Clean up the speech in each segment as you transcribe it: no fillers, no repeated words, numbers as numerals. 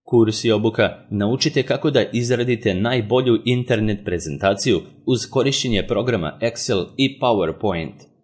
Kurs i obuka naučite kako da izradite najbolju internet prezentaciju uz korišćenje programa Excel i PowerPoint.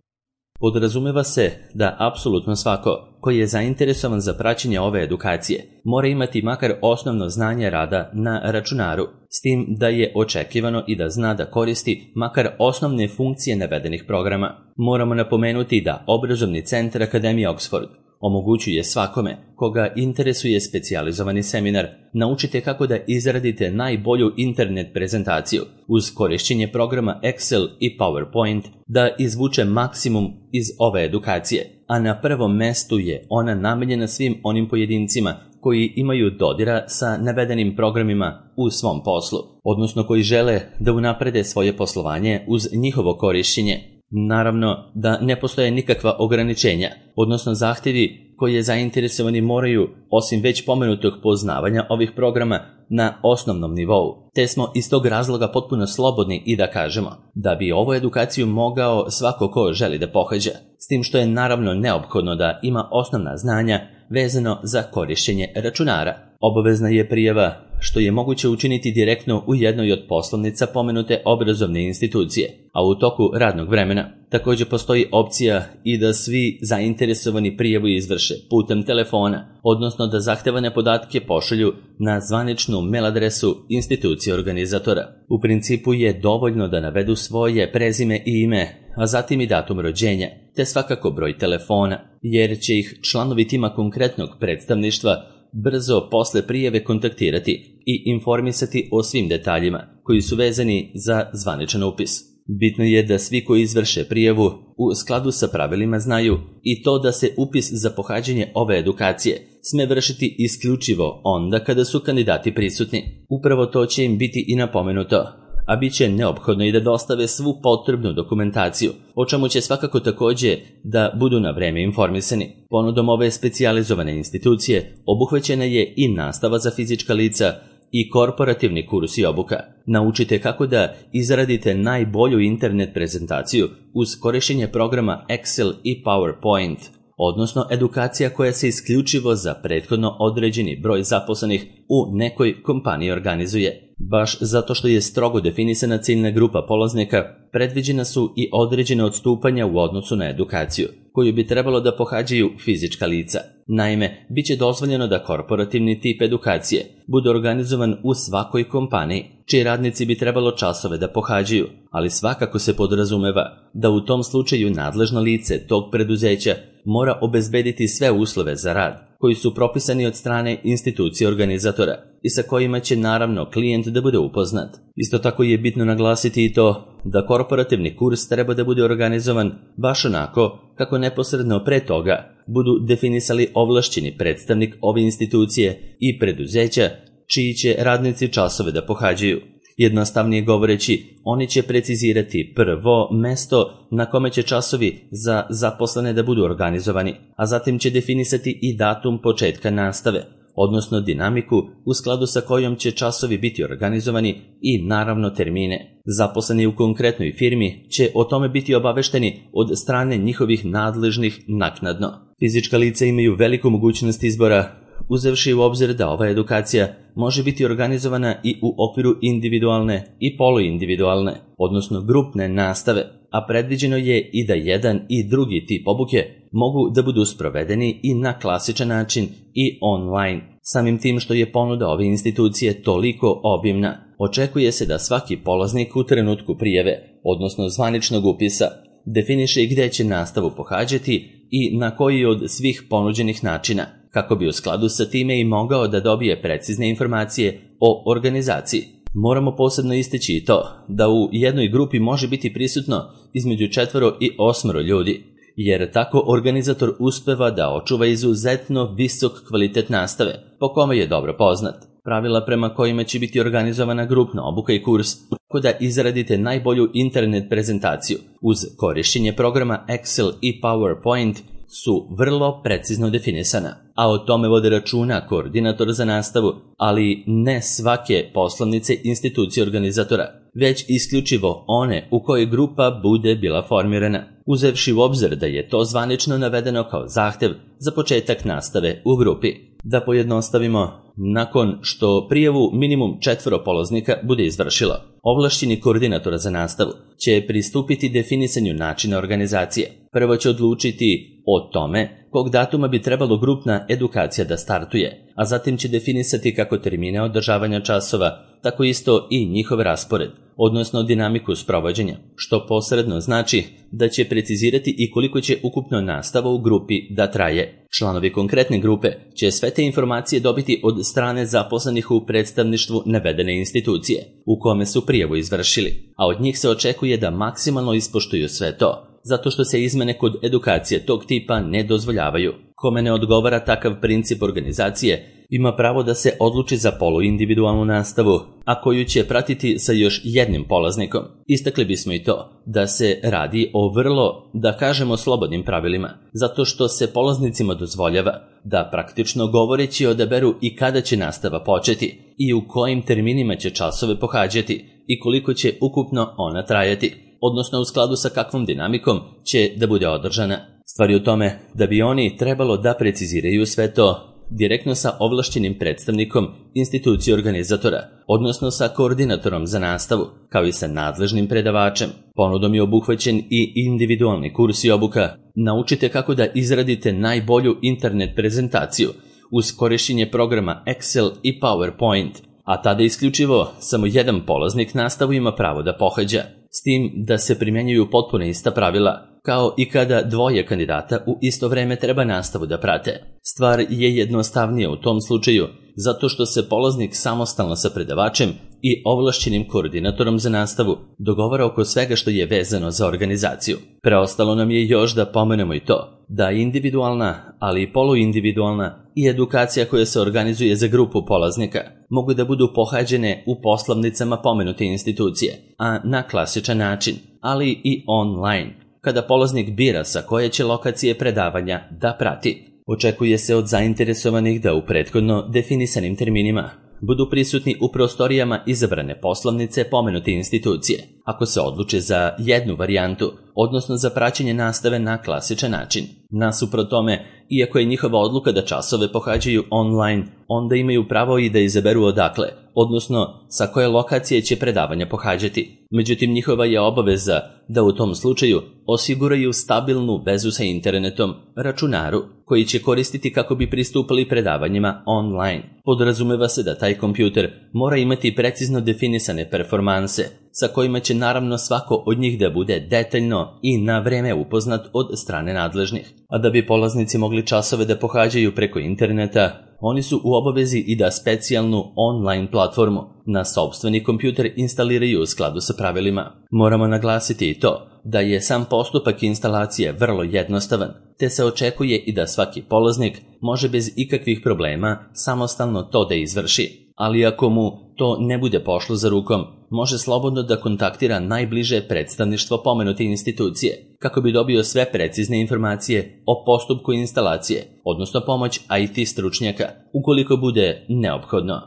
Podrazumeva se da apsolutno svako koji je zainteresovan za praćenje ove edukacije mora imati makar osnovno znanje rada na računaru, s tim da je očekivano i da zna da koristi makar osnovne funkcije navedenih programa. Moramo napomenuti da Obrazovni centar Akademije Oxford omogućuje svakome koga interesuje specijalizovani seminar naučite kako da izradite najbolju internet prezentaciju uz korišćenje programa Excel i PowerPoint da izvuče maksimum iz ove edukacije, a na prvom mestu je ona namenjena svim onim pojedincima koji imaju dodira sa navedenim programima u svom poslu, odnosno koji žele da unaprede svoje poslovanje uz njihovo korišćenje. Naravno da ne postoje nikakva ograničenja, odnosno zahtjevi koje zainteresovani moraju, osim već pomenutog poznavanja ovih programa, na osnovnom nivou. Te smo iz tog razloga potpuno slobodni i da kažemo da bi ovu edukaciju mogao svako ko želi da pohađa, s tim što je naravno neophodno da ima osnovna znanja vezano za korišćenje računara. Obavezna je prijava, što je moguće učiniti direktno u jednoj od poslovnica pomenute obrazovne institucije, a u toku radnog vremena. Također postoji opcija i da svi zainteresovani prijavu izvrše putem telefona, odnosno da zahtevane podatke pošalju na zvaničnu mail adresu institucije organizatora. U principu je dovoljno da navedu svoje prezime i ime, a zatim i datum rođenja, te svakako broj telefona, jer će ih članovi tima konkretnog predstavništva brzo posle prijave kontaktirati i informisati o svim detaljima koji su vezani za zvaničan upis. Bitno je da svi koji izvrše prijavu u skladu sa pravilima znaju i to da se upis za pohađanje ove edukacije sme vršiti isključivo onda kada su kandidati prisutni. Upravo to će im biti i napomenuto, a bit će neophodno i da dostave svu potrebnu dokumentaciju, o čemu će svakako također da budu na vreme informisani. Ponudom ove specijalizovane institucije obuhvaćena je i nastava za fizička lica i korporativni kurs i obuka. Naučite kako da izradite najbolju internet prezentaciju uz korišćenje programa Excel i PowerPoint, odnosno edukacija koja se isključivo za prethodno određeni broj zaposlenih u nekoj kompaniji organizuje. Baš zato što je strogo definisana ciljna grupa polaznika, predviđena su i određene odstupanja u odnosu na edukaciju, koju bi trebalo da pohađaju fizička lica. Naime, bit će dozvoljeno da korporativni tip edukacije bude organizovan u svakoj kompaniji, čiji radnici bi trebalo časove da pohađaju, ali svakako se podrazumeva da u tom slučaju nadležno lice tog preduzeća mora obezbediti sve uslove za rad, koji su propisani od strane institucije organizatora i sa kojima će naravno klijent da bude upoznat. Isto tako je bitno naglasiti i to da korporativni kurs treba da bude organizovan baš onako kako neposredno pre toga budu definisali ovlašćeni predstavnik ove institucije i preduzeća čiji će radnici časove da pohađaju. Jednostavnije govoreći, oni će precizirati prvo mesto na kome će časovi za zaposlene da budu organizovani, a zatim će definisati i datum početka nastave, odnosno dinamiku u skladu sa kojom će časovi biti organizovani i naravno termine. Zaposleni u konkretnoj firmi će o tome biti obavešteni od strane njihovih nadležnih naknadno. Fizička lica imaju veliku mogućnost izbora, uzevši u obzir da ova edukacija može biti organizovana i u okviru individualne i poluindividualne, odnosno grupne nastave, a predviđeno je i da jedan i drugi tip obuke mogu da budu sprovedeni i na klasičan način i online. Samim tim što je ponuda ove institucije toliko obimna, očekuje se da svaki polaznik u trenutku prijave, odnosno zvaničnog upisa, definiše gde će nastavu pohađati i na koji od svih ponuđenih načina, kako bi u skladu sa time i mogao da dobije precizne informacije o organizaciji. Moramo posebno istaći i to da u jednoj grupi može biti prisutno između 4 i 8 ljudi, jer tako organizator uspeva da očuva izuzetno visok kvalitet nastave, po kome je dobro poznat. Pravila prema kojima će biti organizovana grupna obuka i kurs, kako da izradite najbolju internet prezentaciju uz korišćenje programa Excel i PowerPoint, su vrlo precizno definisana, a o tome vode računa koordinator za nastavu, ali ne svake poslovnice institucije organizatora. već isključivo one u kojoj grupa bude bila formirana, uzevši u obzir da je to zvanično navedeno kao zahtev za početak nastave u grupi. Da pojednostavimo, nakon što prijavu minimum 4 polaznika bude izvršilo, ovlašćeni koordinator za nastavu će pristupiti definisanju načina organizacije. Prvo će odlučiti o tome kog datuma bi trebalo grupna edukacija da startuje, a zatim će definisati kako termine održavanja časova, tako isto i njihov raspored, odnosno dinamiku sprovođenja, što posredno znači da će precizirati i koliko će ukupno nastava u grupi da traje. Članovi konkretne grupe će sve te informacije dobiti od strane zaposlenih u predstavništvu navedene institucije u kome su prijavu izvršili, a od njih se očekuje da maksimalno ispoštuju sve to, zato što se izmene kod edukacije tog tipa ne dozvoljavaju. Kome ne odgovara takav princip organizacije, ima pravo da se odluči za poluindividualnu nastavu, a koju će pratiti sa još jednim polaznikom. Istakli bismo i to da se radi o vrlo, da kažemo, slobodnim pravilima, zato što se polaznicima dozvoljava da praktično govoreći odaberu i kada će nastava početi i u kojim terminima će časove pohađati i koliko će ukupno ona trajati, odnosno u skladu sa kakvom dinamikom će da bude održana. Stvar je u tome da bi oni trebalo da preciziraju sve to direktno sa ovlašćenim predstavnikom institucije organizatora, odnosno sa koordinatorom za nastavu, kao i sa nadležnim predavačem. Ponudom je obuhvaćen i individualni kurs i obuka. Naučite kako da izradite najbolju internet prezentaciju uz korišćenje programa Excel i PowerPoint, a tada isključivo samo jedan polaznik nastavu ima pravo da pohađa, s tim da se primjenjuju potpuno ista pravila, kao i kada 2 kandidata u isto vreme treba nastavu da prate. Stvar je jednostavnija u tom slučaju, zato što se polaznik samostalno sa predavačem i ovlašćenim koordinatorom za nastavu dogovara oko svega što je vezano za organizaciju. Preostalo nam je još da pomenemo i to da individualna, ali i poluindividualna i edukacija koja se organizuje za grupu polaznika mogu da budu pohađene u poslovnicama pomenute institucije, a na klasičan način, ali i online, kada polaznik bira sa koje će lokacije predavanja da prati. Očekuje se od zainteresovanih da u prethodno definisanim terminima budu prisutni u prostorijama izabrane poslovnice pomenute institucije, ako se odluče za jednu varijantu, odnosno za praćenje nastave na klasičan način. Nasuprot tome, iako je njihova odluka da časove pohađaju online, onda imaju pravo i da izaberu odakle, odnosno sa koje lokacije će predavanja pohađati. Međutim, njihova je obaveza da u tom slučaju osiguraju stabilnu vezu sa internetom, računaru, koji će koristiti kako bi pristupali predavanjima online. Podrazumeva se da taj kompjuter mora imati precizno definisane performanse, sa kojima će naravno svako od njih da bude detaljno i na vreme upoznat od strane nadležnih. A da bi polaznici mogli časove da pohađaju preko interneta, oni su u obavezi i da specijalnu online platformu na sopstveni kompjuter instaliraju u skladu sa pravilima. Moramo naglasiti i to da je sam postupak instalacije vrlo jednostavan, te se očekuje i da svaki polaznik može bez ikakvih problema samostalno to da izvrši. Ali ako mu to ne bude pošlo za rukom, može slobodno da kontaktira najbliže predstavništvo pomenute institucije, kako bi dobio sve precizne informacije o postupku instalacije, odnosno pomoć IT stručnjaka, ukoliko bude neophodno.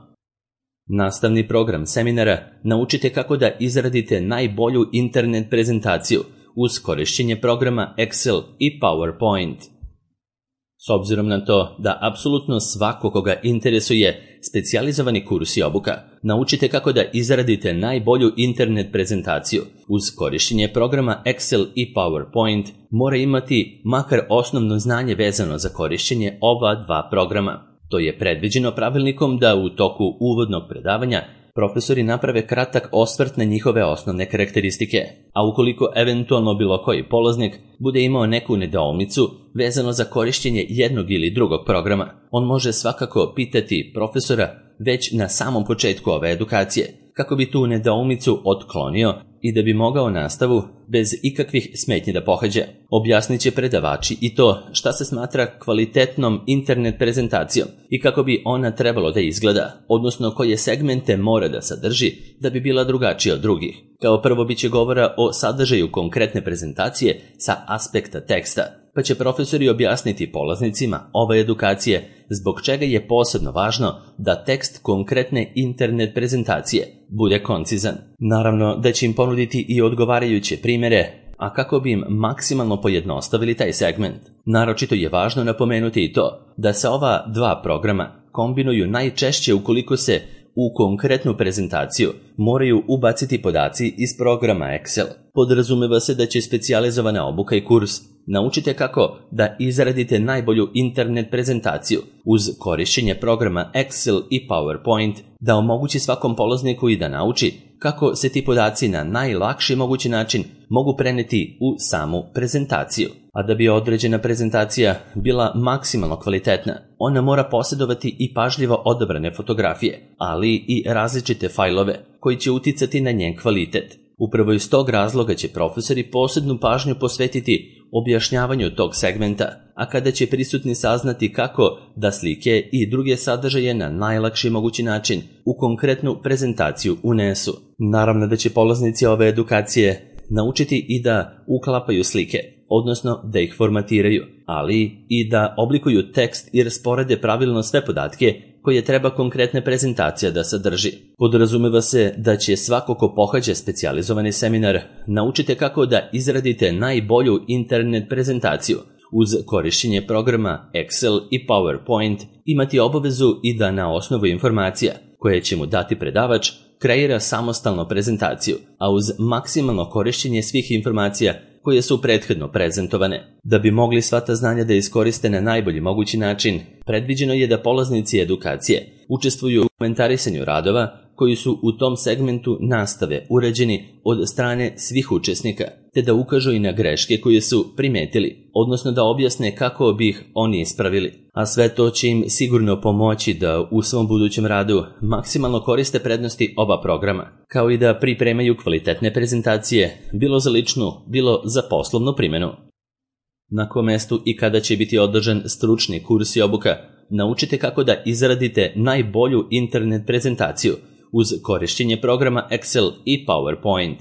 Nastavni program seminara naučite kako da izradite najbolju internet prezentaciju uz korišćenje programa Excel i PowerPoint. S obzirom na to da apsolutno svako koga interesuje specijalizovani kurs i obuka, naučite kako da izradite najbolju internet prezentaciju uz korišćenje programa Excel i PowerPoint, mora imati makar osnovno znanje vezano za korišćenje ova 2 programa. To je predviđeno pravilnikom da u toku uvodnog predavanja profesori naprave kratak osvrt na njihove osnovne karakteristike, a ukoliko eventualno bilo koji polaznik bude imao neku nedoumicu vezano za korišćenje jednog ili drugog programa, on može svakako pitati profesora već na samom početku ove edukacije, kako bi tu nedoumicu otklonio i da bi mogao nastavu bez ikakvih smetnji da pohađa. Objasnit će predavači i to šta se smatra kvalitetnom internet prezentacijom i kako bi ona trebalo da izgleda, odnosno koje segmente mora da sadrži da bi bila drugačija od drugih. Kao prvo biće govora o sadržaju konkretne prezentacije sa aspekta teksta, pa će profesori objasniti polaznicima ove edukacije zbog čega je posebno važno da tekst konkretne internet prezentacije bude koncizan. Naravno da će im ponuditi i odgovarajuće primjere, a kako bi im maksimalno pojednostavili taj segment. Naročito je važno napomenuti i to da se ova dva programa kombinuju najčešće ukoliko se u konkretnu prezentaciju moraju ubaciti podaci iz programa Excel. Podrazumeva se da će specijalizovana obuka i kurs naučite kako da izradite najbolju internet prezentaciju uz korišćenje programa Excel i PowerPoint, da omogući svakom polazniku i da nauči kako se ti podaci na najlakši mogući način mogu preneti u samu prezentaciju. A da bi određena prezentacija bila maksimalno kvalitetna, ona mora posjedovati i pažljivo odabrane fotografije, ali i različite fajlove koji će uticati na njen kvalitet. Upravo iz tog razloga će profesori posebnu pažnju posvetiti objašnjavanju tog segmenta, a kada će prisutni saznati kako da slike i druge sadržaje na najlakši mogući način u konkretnu prezentaciju unesu. Naravno da će polaznici ove edukacije naučiti i da uklapaju slike, odnosno da ih formatiraju, ali i da oblikuju tekst i rasporede pravilno sve podatke koje treba konkretna prezentacija da sadrži. Podrazumeva se da će svako ko pohađa specijalizovani seminar naučite kako da izradite najbolju internet prezentaciju uz korišćenje programa Excel i PowerPoint, imati obavezu i da na osnovu informacija koje će mu dati predavač kreira samostalnu prezentaciju, a uz maksimalno korišćenje svih informacija koje su prethodno prezentovane. Da bi mogli sva ta znanja da iskoriste na najbolji mogući način, predviđeno je da polaznici edukacije učestvuju u komentarisanju radova koji su u tom segmentu nastave urađeni od strane svih učesnika, te da ukažu i na greške koje su primetili, odnosno da objasne kako bi ih oni ispravili. A sve to će im sigurno pomoći da u svom budućem radu maksimalno koriste prednosti oba programa, kao i da pripremaju kvalitetne prezentacije, bilo za ličnu, bilo za poslovnu primjenu. Na kom mestu i kada će biti održan stručni kurs i obuka, naučite kako da izradite najbolju internet prezentaciju uz korišćenje programa Excel i PowerPoint.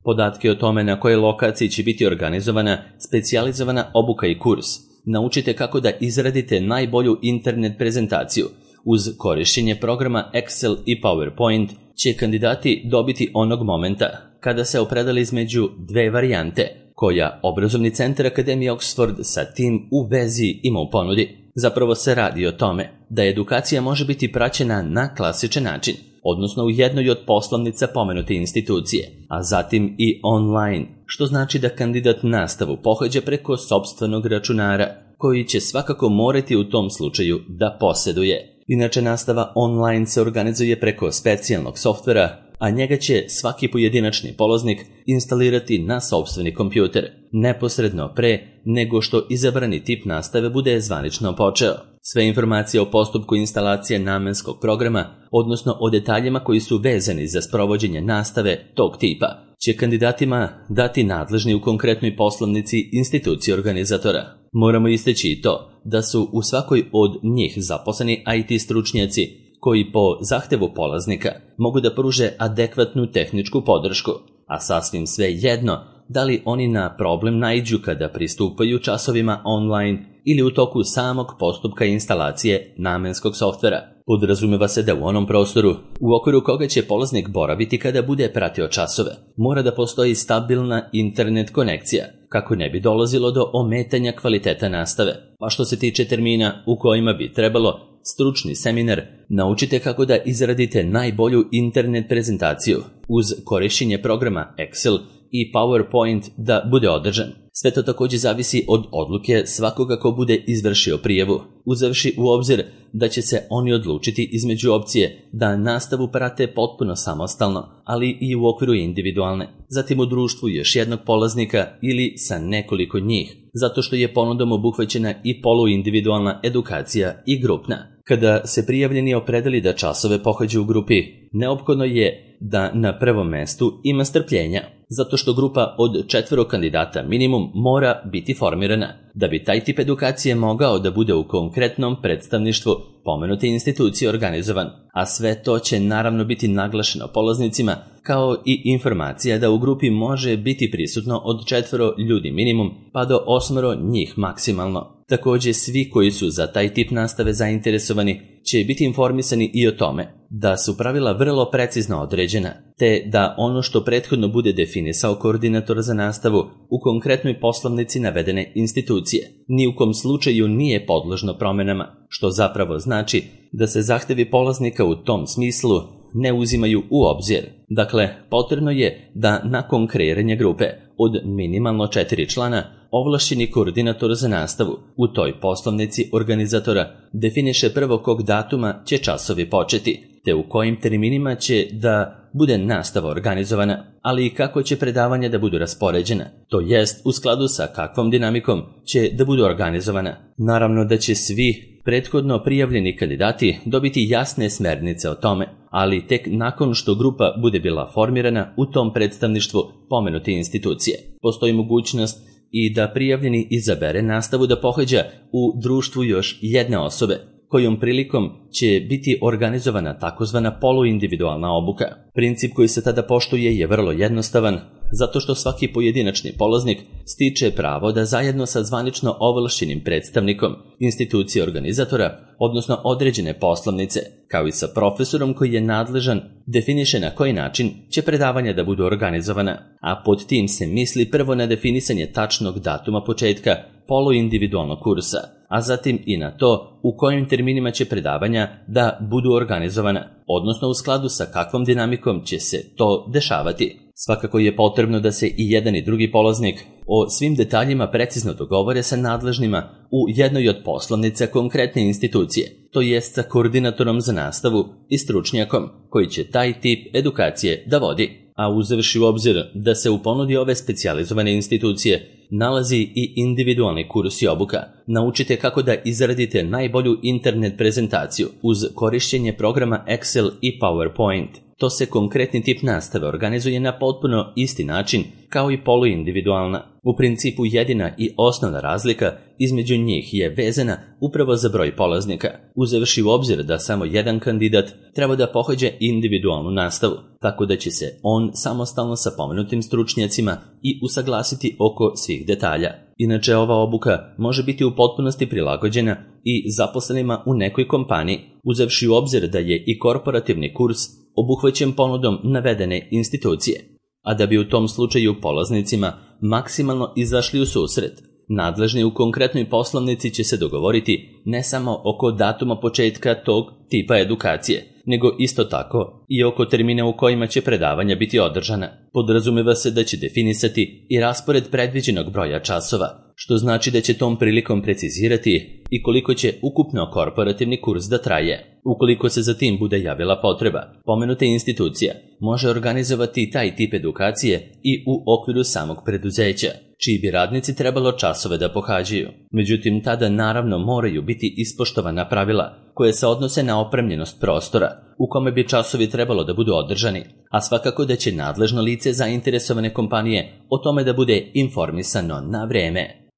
Podatke o tome na kojoj lokaciji će biti organizovana specijalizovana obuka i kurs, naučite kako da izradite najbolju internet prezentaciju uz korišćenje programa Excel i PowerPoint će kandidati dobiti onog momenta kada se opredeli između dve varijante koja obrazovni centar Akademije Oxford sa tim u vezi ima u ponudi. Zapravo se radi o tome da edukacija može biti praćena na klasičan način, odnosno u jednoj od poslovnica pomenute institucije, a zatim i online, što znači da kandidat nastavu pohađa preko sopstvenog računara, koji će svakako morati u tom slučaju da posjeduje. Inače, nastava online se organizuje preko specijalnog softvera, a njega će svaki pojedinačni polaznik instalirati na sopstveni kompjuter, neposredno pre nego što izabrani tip nastave bude zvanično počeo. Sve informacije o postupku instalacije namenskog programa, odnosno o detaljima koji su vezani za sprovođenje nastave tog tipa, će kandidatima dati nadležni u konkretnoj poslovnici institucije organizatora. Moramo istaći i to da su u svakoj od njih zaposleni IT stručnjaci koji po zahtevu polaznika mogu da pruže adekvatnu tehničku podršku, a sasvim sve jedno da li oni na problem naiđu kada pristupaju časovima online ili u toku samog postupka instalacije namenskog softvera. Podrazumeva se da u onom prostoru u okviru koga će polaznik boraviti kada bude pratio časove, mora da postoji stabilna internet konekcija, kako ne bi dolazilo do ometanja kvaliteta nastave. Pa što se tiče termina u kojima bi trebalo stručni seminar, naučite kako da izradite najbolju internet prezentaciju uz korišćenje programa Excel i PowerPoint da bude održan. Sve to također zavisi od odluke svakoga ko bude izvršio prijavu, uzevši u obzir da će se oni odlučiti između opcije da nastavu prate potpuno samostalno, ali i u okviru individualne, zatim u društvu još jednog polaznika ili sa nekoliko njih, zato što je ponudom obuhvaćena i poluindividualna edukacija i grupna. Kada se prijavljeni opredeli da časove pohađu u grupi, neophodno je da na prvom mestu ima strpljenja, zato što grupa od 4 kandidata minimum mora biti formirana, da bi taj tip edukacije mogao da bude u konkretnom predstavništvu pomenute institucije organizovan, a sve to će naravno biti naglašeno polaznicima, kao i informacija da u grupi može biti prisutno od 4 ljudi minimum pa do 8 njih maksimalno. Također svi koji su za taj tip nastave zainteresovani će biti informisani i o tome da su pravila vrlo precizno određena, te da ono što prethodno bude definisao koordinator za nastavu u konkretnoj poslovnici navedene institucije ni u kom slučaju nije podložno promjenama, što zapravo znači da se zahtevi polaznika u tom smislu ne uzimaju u obzir. Dakle, potrebno je da nakon kreiranja grupe od minimalno 4 člana ovlašćeni koordinator za nastavu u toj poslovnici organizatora definiše prvo kog datuma će časovi početi, te u kojim terminima će da bude nastava organizovana, ali i kako će predavanja da budu raspoređena, to jest u skladu sa kakvom dinamikom će da budu organizovana. Naravno da će svi prethodno prijavljeni kandidati dobiti jasne smernice o tome, ali tek nakon što grupa bude bila formirana u tom predstavništvu pomenute institucije. Postoji mogućnost i da prijavljeni izabere nastavu da pohađa u društvu još jedne osobe, kojom prilikom će biti organizovana takozvana poluindividualna obuka. Princip koji se tada poštuje je vrlo jednostavan, zato što svaki pojedinačni polaznik stiče pravo da zajedno sa zvanično ovlašćenim predstavnikom institucije organizatora, odnosno određene poslovnice, kao i sa profesorom koji je nadležan, definiše na koji način će predavanja da budu organizovana, a pod tim se misli prvo na definisanje tačnog datuma početka poluindividualnog kursa, a zatim i na to u kojim terminima će predavanja da budu organizovana, odnosno u skladu sa kakvom dinamikom će se to dešavati. Svakako je potrebno da se i jedan i drugi polaznik o svim detaljima precizno dogovore sa nadležnima u jednoj od poslovnica konkretne institucije, to jest sa koordinatorom za nastavu i stručnjakom koji će taj tip edukacije da vodi. A uzevši u obzir da se u ponudi ove specijalizovane institucije nalazi i individualni kurs i obuka, naučite kako da izradite najbolju internet prezentaciju uz korišćenje programa Excel i PowerPoint. To se konkretni tip nastave organizuje na potpuno isti način kao i poluindividualna. U principu jedina i osnovna razlika između njih je vezana upravo za broj polaznika, uzevši u obzir da samo jedan kandidat treba da pohađa individualnu nastavu, tako da će se on samostalno sa pomenutim stručnjacima i usaglasiti oko svih detalja. Inače, ova obuka može biti u potpunosti prilagođena i zaposlenima u nekoj kompaniji, uzevši u obzir da je i korporativni kurs obuhvaćen ponudom navedene institucije. A da bi u tom slučaju polaznicima maksimalno izašli u susret, nadležni u konkretnoj poslovnici će se dogovoriti ne samo oko datuma početka tog tipa edukacije, nego isto tako i oko termina u kojima će predavanja biti održana. Podrazumeva se da će definisati i raspored predviđenog broja časova, što znači da će tom prilikom precizirati i koliko će ukupno korporativni kurs da traje. Ukoliko se za tim bude javila potreba, pomenuta institucija može organizovati taj tip edukacije i u okviru samog preduzeća, čiji bi radnici trebalo časove da pohađaju. Međutim, tada naravno moraju biti ispoštovana pravila koje se odnose na opremljenost prostora u kome bi časovi trebalo da budu održani, a svakako da će nadležno lice zainteresovane kompanije o tome da bude informisano na vreme.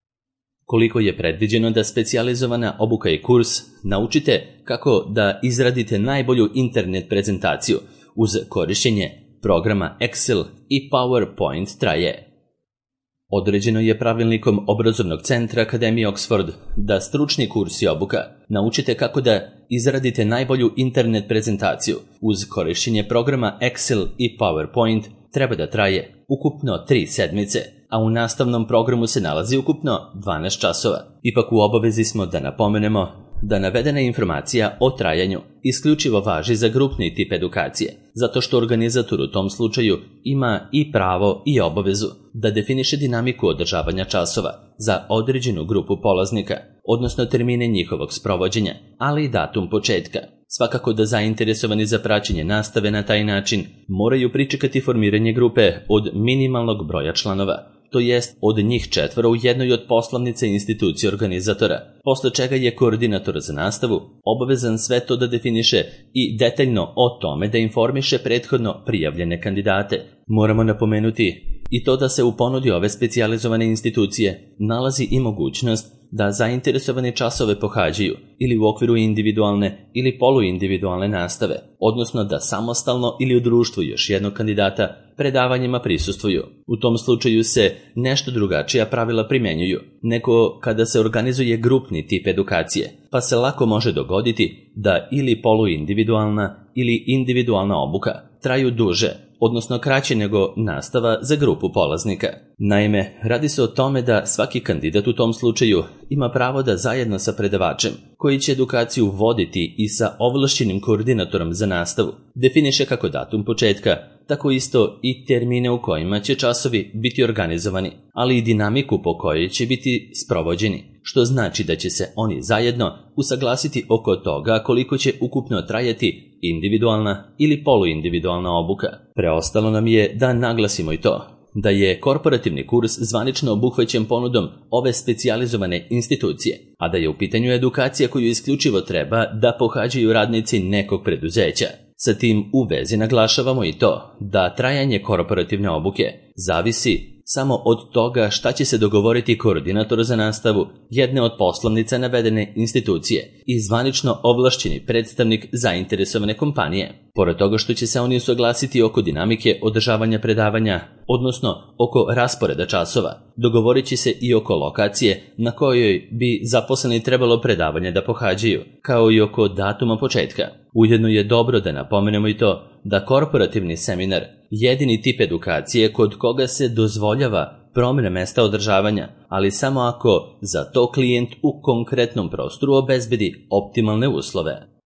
Koliko je predviđeno da specijalizovana obuka i kurs naučite kako da izradite najbolju internet prezentaciju uz korišćenje programa Excel i PowerPoint traje. Određeno je pravilnikom obrazovnog centra Akademije Oxford da stručni kurs i obuka naučite kako da izradite najbolju internet prezentaciju uz korišćenje programa Excel i PowerPoint treba da traje ukupno 3 sedmice, a u nastavnom programu se nalazi ukupno 12 časova. Ipak u obavezi smo da napomenemo da navedena informacija o trajanju isključivo važi za grupni tip edukacije, zato što organizator u tom slučaju ima i pravo i obavezu da definiše dinamiku održavanja časova za određenu grupu polaznika, odnosno termine njihovog sprovođenja, ali i datum početka. Svakako da zainteresovani za praćenje nastave na taj način moraju pričekati formiranje grupe od minimalnog broja članova to jest od njih 4 u jednoj od poslovnica institucije organizatora, posle čega je koordinator za nastavu obavezan sve to da definiše i detaljno o tome da informiše prethodno prijavljene kandidate. Moramo napomenuti i to da se u ponudi ove specijalizovane institucije nalazi i mogućnost da zainteresovani časove pohađaju ili u okviru individualne ili poluindividualne nastave, odnosno da samostalno ili u društvu još jednog kandidata predavanjima prisustvuju. U tom slučaju se nešto drugačija pravila primjenjuju nego kada se organizuje grupni tip edukacije, pa se lako može dogoditi da ili poluindividualna ili individualna obuka traju duže, odnosno kraće nego nastava za grupu polaznika. Naime, radi se o tome da svaki kandidat u tom slučaju ima pravo da zajedno sa predavačem, koji će edukaciju voditi i sa ovlašćenim koordinatorom za nastavu, definiše kako datum početka, tako isto i termine u kojima će časovi biti organizovani, ali i dinamiku po kojoj će biti sprovođeni, što znači da će se oni zajedno usaglasiti oko toga koliko će ukupno trajati individualna ili poluindividualna obuka. Preostalo nam je da naglasimo i to da je korporativni kurs zvanično obuhvaćen ponudom ove specijalizovane institucije, a da je u pitanju edukacija koju isključivo treba da pohađaju radnici nekog preduzeća. Sa tim u vezi naglašavamo i to da trajanje korporativne obuke zavisi samo od toga šta će se dogovoriti koordinator za nastavu jedne od poslovnica navedene institucije i zvanično ovlašćeni predstavnik zainteresovane kompanije. Pored toga što će se oni usaglasiti oko dinamike održavanja predavanja, odnosno oko rasporeda časova, dogovorit će se i oko lokacije na kojoj bi zaposleni trebalo predavanje da pohađaju, kao i oko datuma početka. Ujedno je dobro da napomenemo i to da korporativni seminar jedini tip edukacije kod koga se dozvoljava promjena mesta održavanja, ali samo ako za to klijent u konkretnom prostoru obezbedi optimalne uslove.